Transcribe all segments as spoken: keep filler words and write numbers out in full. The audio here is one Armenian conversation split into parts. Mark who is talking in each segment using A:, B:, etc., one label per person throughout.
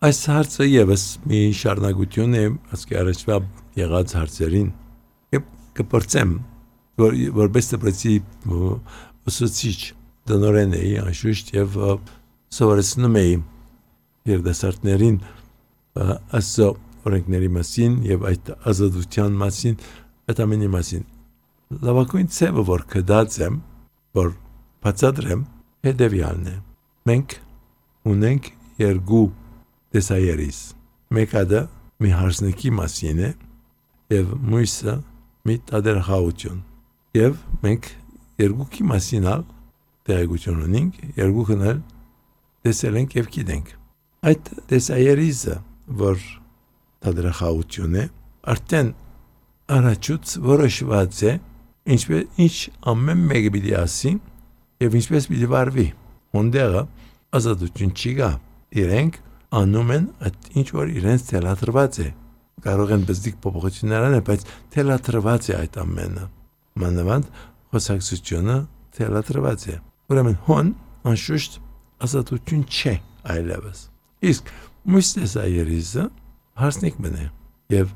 A: Այս հարցը եւս մի շարունակություն է ասկի առաջվա եղած հարցերին եւ կփորձեմ որ որպես դպրոցի ուսուցիչ դնորեն էի անշուշտ եւ սովորեցնում էի երդասարտներին ասո օրենքների մասին եւ այդ ազատության մասին այդ ամենի մասին լավագույն ցավը որ կդած եմ որ բացատրեմ հետեւյալն է մենք ունենք երկու տեսայերիս մեկը մի հարսնեկի մասին է եւ մյուսը մի տադերախաղություն եւ մենք երկուքի մասին ալ տեղեկություն ունենք երկուքն էլ տեսել ենք եւ գիտենք այդ տեսայերիսը որ տադերախաղություն է արդեն առաջուց որոշված է ինչպես ինչ ամեն մեկը պիտի ասի եւ ինչպես պիտի վարվի ոնդերը ազատություն չի գա իրենք անում են այդ ինչ որ իրենց թելադրված է կարող են բզդիկ փոփոխություններ անել բայց թելադրված է այդ ամենը մանավանդ խոսակցությունը թելադրված է ուրեմն հոն անշուշտ ազատություն չէ այլևս իսկ մույսեսայերիզը հարսնիկ մնե եւ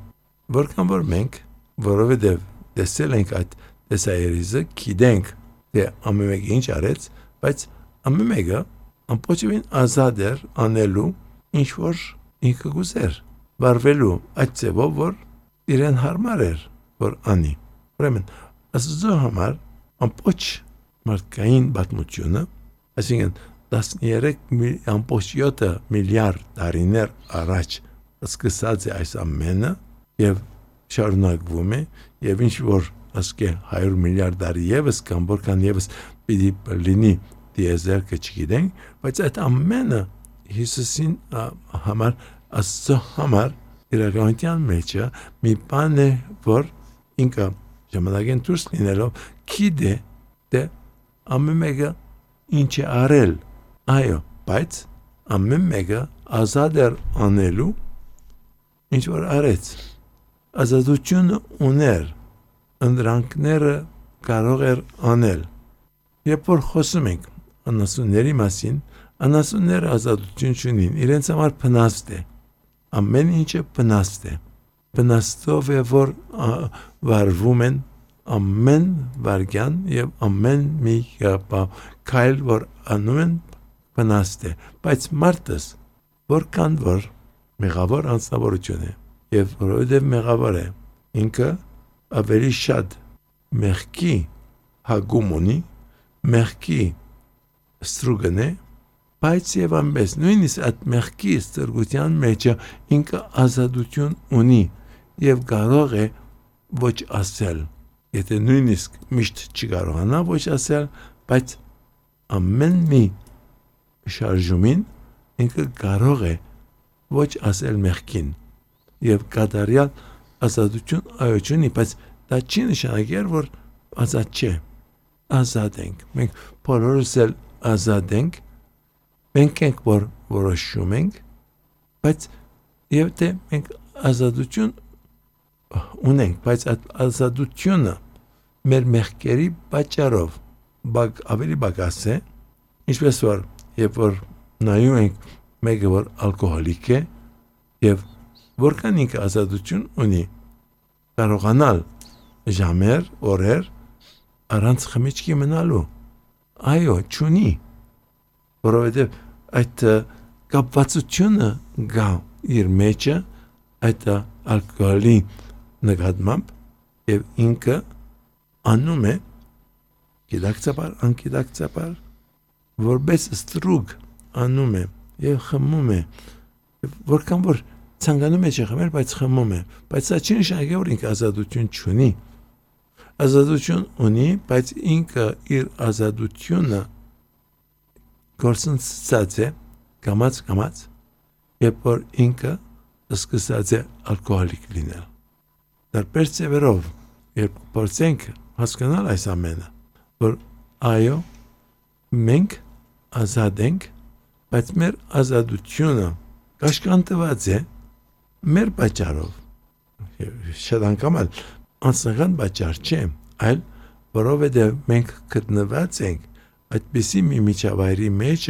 A: որքան որ մենք որովհետեւ տեսել ենք այդ տեսայերիզը գիտենք թե ամեն մեկը ինչ արեց բայց ամեն մեկը ամբողջովին ազատ էր անելու ինչ որ ինքը գուզեր վարվելու այդ ձևով որ իրեն հարմար էր որ անի ուրեմն ասո համար ամբողջ մարդկային պատմությունը այսինքն տասներեք յոթ միլիարդ տարիներ առաջ սկսած է այս ամենը եւ շարունակվում է եւ ինչ որ ասկե հարյուր միլիարդ տարի եւս կամ որքան եւս պիտի լինի դիեզեր կչգիտենք բայց այդ ամենը Հիսուսին համար ասո համար իրականության մեջ մի բան է որ ինքը ժամանակեն դուրս լինելով գիտե թե ամեն մեկը ինչ է արել այո բայց ամեն մեկը ազատ էր անելու ինչ որ արեց ազատությունը ուներ ընդրանքները կարող էր անել երբ որ խոսում ենք անասունների մասին անասունները ազատություն չունին իրենց համար փնաստ է ամեն ինչը փնաստ է փնաստով է որ վարվում են ամեն վարքյան եւ ամեն մի քայլ որ անում են փնաստ է բայց մարդս որքան որ մեղավոր անձնավորություն է եւ որովհետեւ մեղավոր է ինքը ավելի շատ մեղքի հագում ունի մեղքի ստրուգն է բայց եւ ամենս նույնիսկ այդ մեղքի ստրգության մեջ ինքը ազատություն ունի եւ կարող է ոչ ասել եթե նույնիսկ միշտ չկարողանա ոչ ասել բայց ամեն մի շարժումին ինքը կարող է ոչ ասել մեղքին եւ կատարյալ ազատություն այոչունի բայց դա չի նշանակել որ ազատ չէ ազատ ենք մենք բոլորս էլ ազատ ենք մենք ենք որ որոշում ենք բայց եւ թե մենք ազատություն ունենք բայց այդ ազատությունը մեր մեղքերի պատճառով բակ ավելի բակաս է ինչպես որ երբ որ նայում ենք մեկը որ ալկոհոլիկ է եւ որքան ինքը ազատություն ունի կարողանալ ժամեր օրեր առանց խմիչքի մնալու այո չունի որովհետեւ այդ կապվածությունը գա իր մեջը այդ ալկոհոլի նկատմամբ եւ ինքը անում է գիտակցաբար անկիտակցաբար որպես ստրուգ անում է եւ խմում է որքան որ ցանկանում է չխմել բայց խմում է բայց դա չի նշանակել որ ինքը ազատություն չունի ազատություն ունի բայց ինքը իր ազատությունը գործընծած է կամած կամած երբ որ ինքը սկսած է ալկոհոլիկ լինել դարբեր ծևերով երբ փորձենք հասկանալ այս ամենը որ այո մենք ազատ ենք բայց մեր ազատությունը կաշկանդված է մեր պատճառով շատ անգամ անձնական պատճառ չէ այլ որովհետև մենք գտնված ենք այդպիսի մի միջավայրի մեջ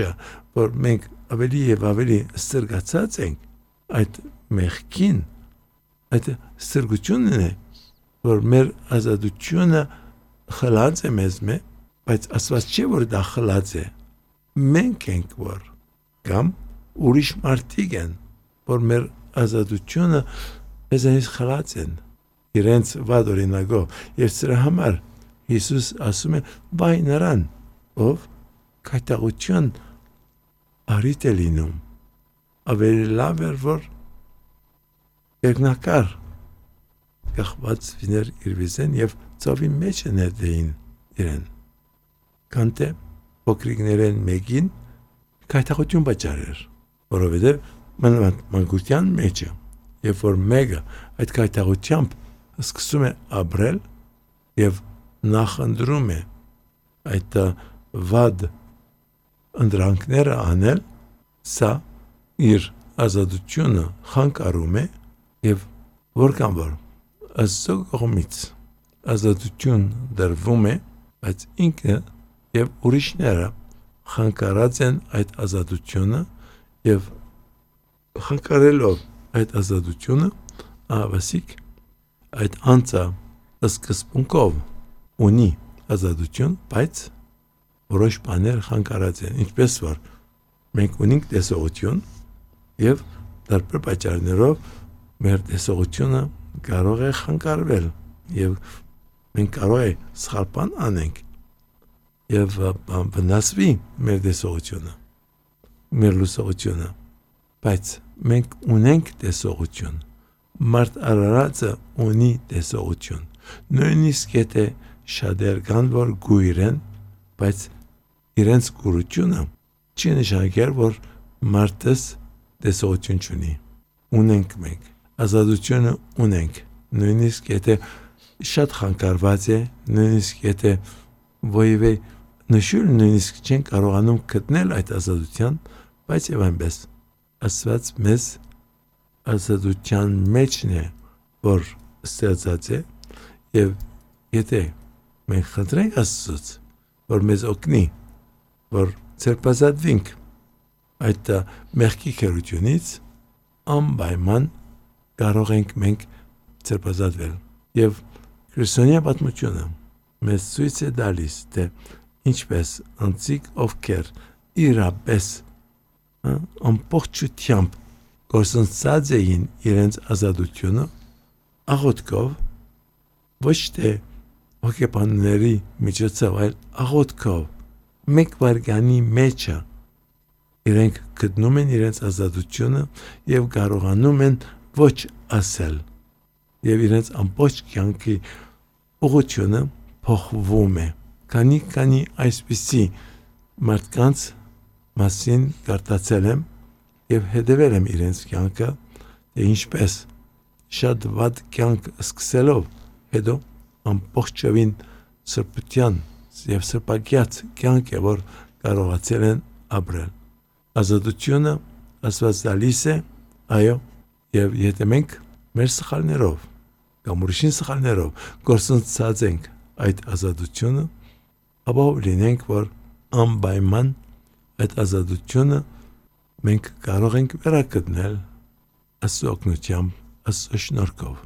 A: որ մենք ավելի եւ ավելի ստրգացած ենք այդ մեղքին, այդ սրգությունն է, որ մեր ազատությունը խլած է մեզ մե, բայց Աստված չէ որ դա խլած է, մենք ենք որ, կամ ուրիշ մարդիկ են, որ մեր ազատությունը մեզանից խլած են, իրենց վատ օրինակով, եւ սրա համար Հիսուս ասում է բայ նրան, ով կայտաղություն արիտ է լինում, ավելի լավ էր որ երկնակար կախված վիներ իր վիզեն եւ ծովի մեջ ներդեին իրեն, քան թե փոքրիկներեն մեկին կայտաղություն պատճառեր, որովհետեւ մանկության մեջը, երբ որ մեկը այդ կայտաղությամբ սկսում է ապրել եւ նախընտրում է այդ վատ ընդրանքները անել, սա իր ազատությունը խանգարում է եւ որքան որ Աստծո կողմից ազատություն դրվում է, բայց ինքը եւ ուրիշները խանգարած են այդ ազատությունը եւ խանգարելով այդ ազատությունը ավասիկ այդ անձը սկզբունքով ունի ազատություն, բայց որոշ բաներ խանգարած են, ինչպես որ մենք ունենք տեսողություն եւ տարբեր պատճառներով մեր տեսողությունը կարող է խանգարվել եւ մենք կարող է սխալ բան անենք եւ վնասվի մեր տեսողությունը, մեր լուսողությունը, բայց մենք ունենք տեսողություն, մարդ արարածը ունի տեսողություն, նույնիսկ եթե շատեր կան որ գույր են, բայց իրենց գուրությունը չի նշանակել որ մարդս տեսողություն չունի, ունենք մենք, ազատությունը ունենք, նույնիսկ եթե շատ խանգարված է, նույնիսկ եթե ոյվե նշուր նույնիսկ չեն կարողանում գտնել այդ ազատության, բայց եւ այնպես Աստված մեզ ազատության մեջն է, որ ստեղծած է եւ եթե մենք խնդրենք Աստծուց, որ մեզ օգնի, որ ցերպազատվենք այդ մեղքի քերությունից, անպայման կարող ենք մենք ցերպազատվել եւ քրիստոնյա պատմությունը մեզ ցույց է տալիս թե ինչպես անցիկ ովքեր իրապես ամբողջությամբ գործընծած էին իրենց ազատությունը աղոթքով ոչ թե հոգեբանների միջոցով այլ աղոթքով մեկ վարգանի մեջը իրենք գտնում են իրենց ազատությունը եւ կարողանում են ոչ ասել եւ իրենց ամբողջ կյանքի ուղղությունը փոխվում է քանի քանի այսպիսի մարդկանց մասին կարդացել եմ եւ հետեւել եմ իրենց կյանքը թե ինչպես շատ վատ կյանք սկսելով հետո ամբողջովին սրբության եւ սրբագյաց կյանք է որ կարողացել են ապրել ազատությունը Աստված տալիս է այո եւ եթե մենք մեր սխալներով կամ ուրիշին սխալներով գործընծած ենք այդ ազատությունը ապա լինենք որ անպայման այդ ազատությունը մենք կարող ենք վերագտնել Աստծո օգնությամբ Աստծո շնորհքով